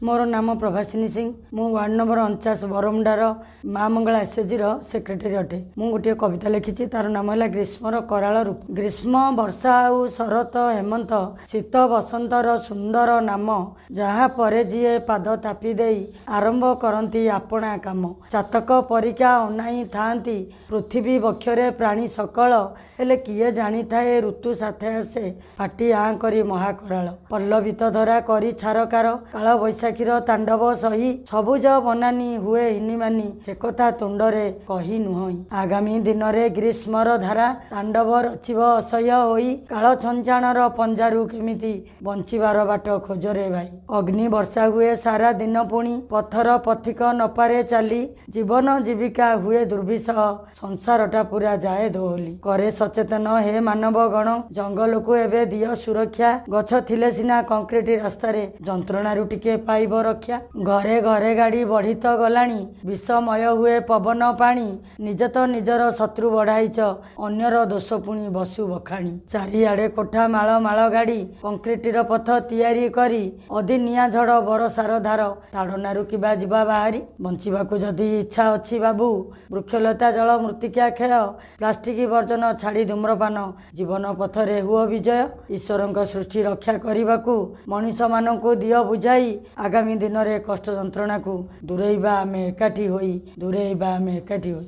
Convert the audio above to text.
ମୋର ନାମ ପ୍ରଭାସିନୀ ସିଂ। ମୁଁ ୱାର୍ଡ଼ ନମ୍ବର 49 ବରମୁଣ୍ଡାର ମା ମଙ୍ଗଳା ଏସ୍ଏଚ୍ଜିର ସେକ୍ରେଟାରୀ ଅଟେ। ମୁଁ ଗୋଟିଏ କବିତା ଲେଖିଛି, ତାର ନାମ ହେଲା ଗ୍ରୀଷ୍ମର କରାଳ ରୂପ। ଗ୍ରୀଷ୍ମ, ବର୍ଷା ଆଉ ଶରତ, ହେମନ୍ତ, ଶୀତ, ବସନ୍ତର ସୁନ୍ଦର ନାମ, ଯାହା ପରେ ଯିଏ ପାଦ ଥାପି ଦେଇ ଆରମ୍ଭ କରନ୍ତି ଆପଣା କାମ। ଚାତକ ପରିକା ଅନାଇ ଥାଆନ୍ତି ପୃଥିବୀ ବକ୍ଷରେ ପ୍ରାଣୀ ସକଳ, ହେଲେ କିଏ ଜାଣିଥାଏ ଋତୁ ସାଥେ ଆସେ ଫାଟି ଆଁ କରି ମହାକରାଳ। ପଲ୍ଲବିତ ଧରା କରି ଛାରକାର କାଳ ବୈଶାଖୀର ତାଣ୍ଡବ ସହି ସବୁଜ ବନାନୀ ହୁଏ ହିନିମାନି, ସେ କଥା ତୁଣ୍ଡରେ କହି ନୁହଁଇ। ଆଗାମୀ ଦିନରେ ଗ୍ରୀଷ୍ମର ଧାରା ତାଣ୍ଡବ ରଚିବ ଅସହ୍ୟ ହୋଇ, କାଳ ଛଞ୍ଚାଣର ପଞ୍ଜାରୁ କେମିତି ବଞ୍ଚିବାର ବାଟ ଖୋଜରେ ଭାଇ। ଅଗ୍ନି ବର୍ଷା ହୁଏ ସାରା ଦିନ, ପୁଣି ପଥର ପଥିକ ନପାରେ ଚାଲି, ଜୀବନ ଜୀବିକା ହୁଏ ଦୁର୍ବିସହ, ସଂସାରଟା ପୁରା ଯାଏ ଦୋହଲି। କରେ ସଚେତନ ହେ ମାନବ ଗଣ, ଜଙ୍ଗଲକୁ ଏବେ ଦିଅ ସୁରକ୍ଷା, ଗଛ ଥିଲେ ସିନା କଂକ୍ରିଟ ରାସ୍ତାରେ ଯନ୍ତ୍ରଣାରୁ ଟିକେ ପାଇବ ରକ୍ଷା। ଘରେ ଘରେ ଗାଡ଼ି ବଢ଼ି ତ ଗଲାଣି, ବିଷମୟ ହୁଏ ପବନ ପାଣି, ନିଜେ ତ ନିଜର ଶତ୍ରୁ ବଢ଼ାଇଛ, ଅନ୍ୟର ଦୋଷ ପୁଣି ବସୁ ବଖାଣି। ଚାରିଆଡ଼େ କୋଠା ମାଳ ମାଳ ଗାଡ଼ି, କଂକ୍ରିଟର ପଥ ତିଆରି କରି, ଅଦିନିଆ ଝଡ଼ ବରଷାର ଧାର ତାଡ଼ନାରୁ କିବା ଯିବା ବାହାରି। ବଞ୍ଚିବାକୁ ଯଦି ଇଚ୍ଛା ଅଛି ବାବୁ, ବୃକ୍ଷଲତା ଜଳ ମୃତ୍ତିକା କ୍ଷୟ, ପ୍ଲାଷ୍ଟିକ ବର୍ଜନ ଛାଡ଼ି ଧୂମ୍ରପାନ, ଜୀବନ ପଥରେ ହୁଅ ବିଜୟ। ଈଶ୍ୱରଙ୍କ ସୃଷ୍ଟି ରକ୍ଷା କରିବାକୁ ମଣିଷମାନଙ୍କୁ ଦିଅ ବୁଝାଇ, ଆଗାମୀ ଦିନରେ କଷ୍ଟ ଯନ୍ତ୍ରଣାକୁ ଦୂରେଇବା ଆମେ ଏକାଠି ହୋଇ, ଦୂରେଇବା ଆମେ ଏକାଠି ହୋଇ।